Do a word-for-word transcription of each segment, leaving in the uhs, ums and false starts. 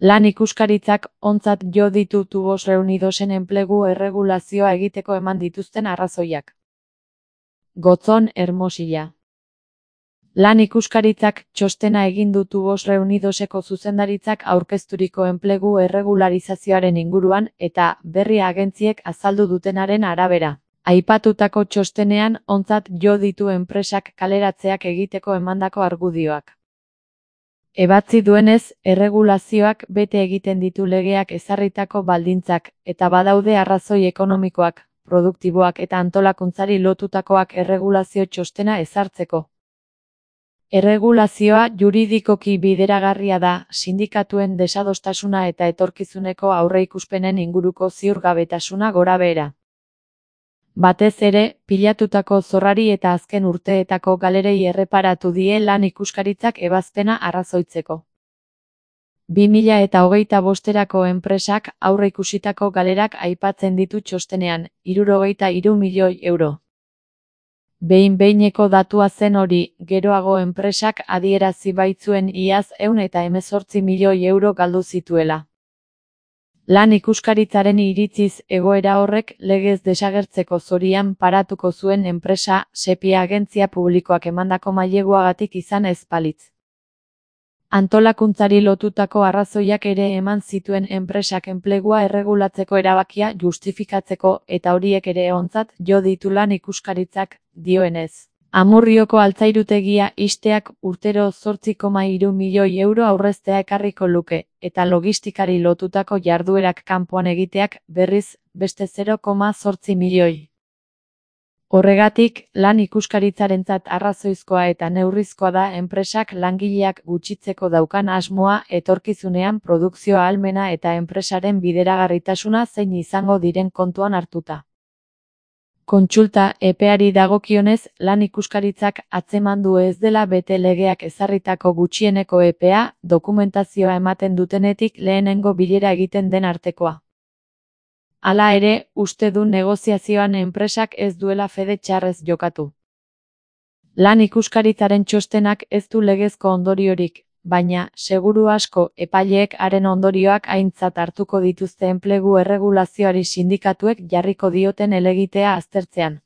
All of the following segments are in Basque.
Lan ikuskaritzak ontzat jo ditu Tubos Reunidosen enplegu erregulazioa egiteko eman dituzten arrazoiak. Gotzon Hermosilla. Lan ikuskaritzak txostena egin du Tubos Reunidoseko zuzendaritzak aurkezturiko enplegu erregularizazioaren inguruan eta berri agentziek azaldu dutenaren arabera. Aipatutako txostenean ontzat jo ditu enpresak kaleratzeak egiteko emandako argudioak. Ebatzi duenez, erregulazioak bete egiten ditu legeak ezarritako baldintzak, eta badaude arrazoi ekonomikoak, produktiboak eta antolakuntzari lotutakoak erregulazio txostena ezartzeko. Erregulazioa juridikoki bideragarria da, sindikatuen desadostasuna eta etorkizuneko aurreikuspenen inguruko ziurgabetasuna gorabehera. Batez ere, pilatutako zorrari eta azken urteetako galerei erreparatu die lan ikuskaritzak ebazpena arrazoitzeko. bi mila eta hogeita bosterako enpresak aurreikusitako galerak aipatzen ditu txostenean, hirurogeita hiru milioi euro. Behin-behineko datua zen hori, geroago enpresak adierazi baitzuen iaz ehun eta hemezortzi milioi euro galdu zituela. Lan ikuskaritzaren iritziz egoera horrek legez desagertzeko zorian paratuko zuen enpresa Sepia agentzia publikoak emandako maileguagatik izan ez balitz. Antolakuntzari lotutako arrazoiak ere eman zituen enpresak enplegua erregulatzeko erabakia justifikatzeko eta horiek ere ontzat jo ditu lan ikuskaritzak, dioenez. Amurrioko altzairutegia ixteak urtero zortzi koma hiru milioi euro aurreztea ekarriko luke, eta logistikari lotutako jarduerak kanpoan egiteak berriz beste zero koma zortzi milioi. Horregatik, lan ikuskaritzarentzat arrazoizkoa eta neurrizkoa da enpresak langileak gutxitzeko daukan asmoa etorkizunean produkzio ahalmena eta enpresaren bideragarritasuna zein izango diren kontuan hartuta. Kontsulta epeari dagokionez, lan ikuskaritzak atzeman du ez dela bete legeak ezarritako gutxieneko epea, dokumentazioa ematen dutenetik lehenengo bilera egiten den artekoa. Hala ere, uste du negoziazioan enpresak ez duela fede txarrez jokatu. Lan ikuskaritzaren txostenak ez du legezko ondoriorik, baina, seguru asko, epaileek haren ondorioak aintzat hartuko dituzte enplegu erregulazioari sindikatuek jarriko dioten helegitea aztertzean.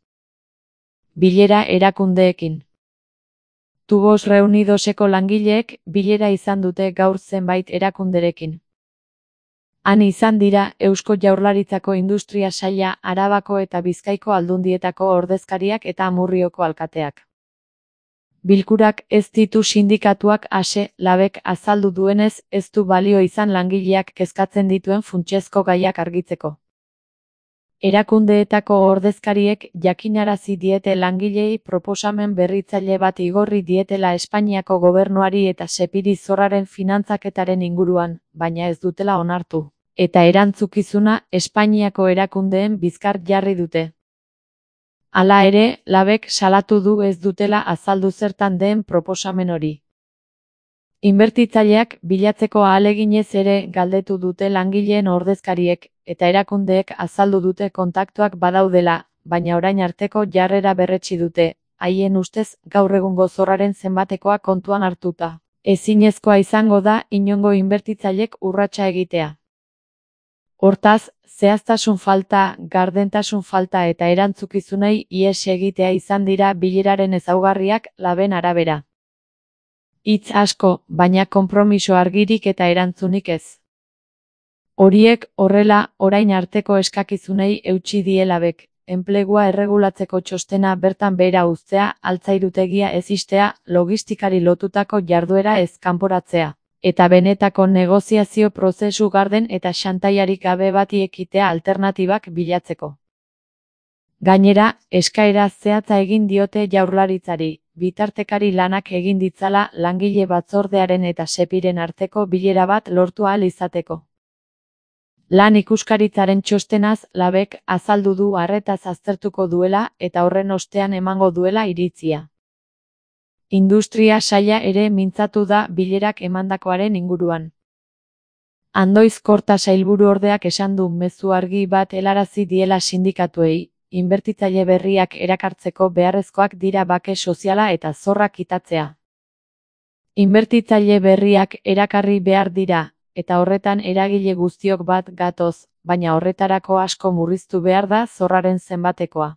Bilera erakundeekin. Tubos Reunidoseko langileek bilera izan dute gaur zenbait erakunderekin. Han izan dira Eusko Jaurlaritzako Industria Saila, Arabako eta Bizkaiko aldundietako ordezkariak eta Amurrioko alkateak. Bilkurak ez ditu sindikatuak ase, labek azaldu duenez ez du balio izan langileak kezkatzen dituen funtsezko gaiak argitzeko. Erakundeetako ordezkariek jakinarazi diete langilei proposamen berritzaile bat igorri dietela Espainiako gobernuari eta Sepiri zorraren finantzaketaren inguruan, baina ez dutela onartu. Eta erantzukizuna Espainiako erakundeen bizkar jarri dute. Hala ere, labek salatu du ez dutela azaldu zertan den proposamen hori. Inbertitzaileak bilatzeko ahaleginez ere galdetu dute langileen ordezkariek, eta erakundeek azaldu dute kontaktuak badaudela, baina orain arteko jarrera berretsi dute, haien ustez gaur egungo zorraren zenbatekoa kontuan hartuta. Ezinezkoa izango da inongo inbertitzailek urratsa egitea. Hortaz, zehaztasun falta, gardentasun falta eta erantzukizunei ihes egitea izan dira bileraren ezaugarriak laben arabera. Hitz asko, baina konpromiso argirik eta erantzunik ez. Horiek horrela orain arteko eskakizunei eutsi die labek, enplegua erregulatzeko txostena bertan behera uztea, altzairutegia ez ixtea, logistikari lotutako jarduera ez kanporatzea. Eta benetako negoziazio prozesu garden eta xantaiarik gabe bati ekitea alternatibak bilatzeko. Gainera, eskaera zehatza egin diote Jaurlaritzari, bitartekari lanak egin ditzala langile batzordearen eta Sepiren arteko bilera bat lortu ahal izateko. Lan ikuskaritzaren txostenaz labek azaldu du arretaz aztertuko duela eta horren ostean emango duela iritzia. Industria saila ere mintzatu da bilerak emandakoaren inguruan. Andoiz Korta sailburu ordeak esan du mezu argi bat helarazi diela sindikatuei, inbertitzaile berriak erakartzeko beharrezkoak dira bake soziala eta zorra kitatzea. Inbertitzaile berriak erakarri behar dira, eta horretan eragile guztiok bat gatoz, baina horretarako asko murriztu behar da zorraren zenbatekoa.